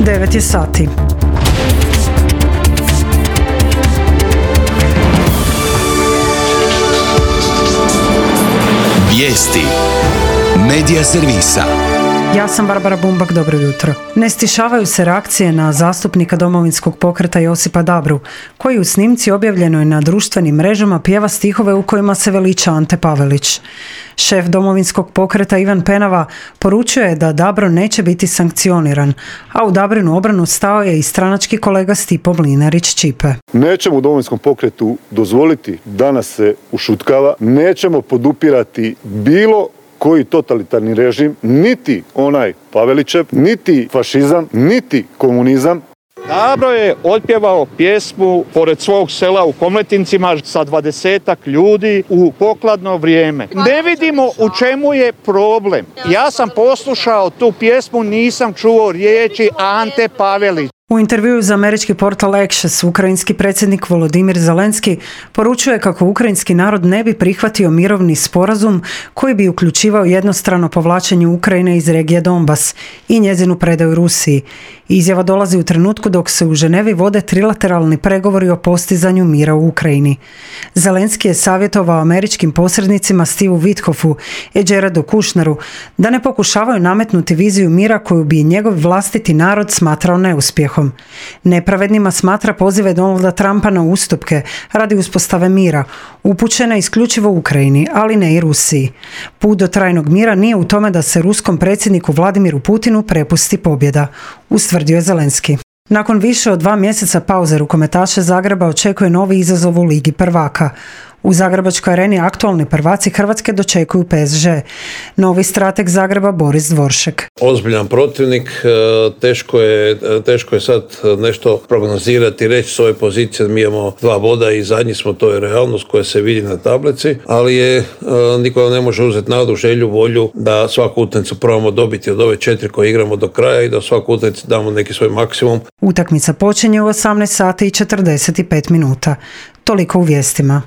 9 je sati. Vijesti Medija servisa. Ja sam Barbara Bumbak, dobro jutro. Ne stišavaju se reakcije na zastupnika Domovinskog pokreta Josipa Dabru, koji u snimci objavljenoj na društvenim mrežama pjeva stihove u kojima se veliča Ante Pavelić. Šef Domovinskog pokreta Ivan Penava poručuje da Dabro neće biti sankcioniran, a u Dabrinu obranu stao je i stranački kolega Stipo Mlinarić-Ćipe. Nećemo u Domovinskom pokretu dozvoliti da nas se ušutkava, nećemo podupirati bilo koji totalitarni režim, niti onaj Pavelićev, niti fašizam, niti komunizam. Dabro je otpjevao pjesmu pored svog sela u Komletincima sa 20-ak ljudi u pokladno vrijeme. Ne vidimo u čemu je problem. Ja sam poslušao tu pjesmu, nisam čuo riječi Ante Pavelić. U intervjuu za američki portal Axios, ukrajinski predsjednik Volodimir Zelenski poručuje kako ukrajinski narod ne bi prihvatio mirovni sporazum koji bi uključivao jednostrano povlačenje Ukrajine iz regije Donbas i njezinu predaju Rusiji. Izjava dolazi u trenutku dok se u Ženevi vode trilateralni pregovori o postizanju mira u Ukrajini. Zelenski je savjetovao američkim posrednicima Steveu Witkoffu i Jaredu Kushneru da ne pokušavaju nametnuti viziju mira koju bi njegov vlastiti narod smatrao neuspjehom. Nepravednima smatra pozive Donalda Trumpa na ustupke radi uspostave mira, upućene isključivo Ukrajini, ali ne i Rusiji. Put do trajnog mira nije u tome da se ruskom predsjedniku Vladimiru Putinu prepusti pobjeda, ustvrdio je Zelenski. Nakon više od 2 mjeseca pauze rukometaše Zagreba očekuje novi izazov u Ligi prvaka. U Zagrebačkoj areni aktualni prvaci Hrvatske dočekuju PSG. Novi strateg Zagreba Boris Dvoršek. Ozbiljan protivnik, teško je sad nešto prognozirati, reći s ove pozicije. Mi imamo 2 boda i zadnji smo, to je realnost koja se vidi na tablici, ali niko ne može uzeti nadu, želju, volju da svaku utakmicu probamo dobiti od ove 4 koje igramo do kraja i da svaku utakmicu damo neki svoj maksimum. Utakmica počinje u 18 sati i 45 minuta. Toliko u vijestima.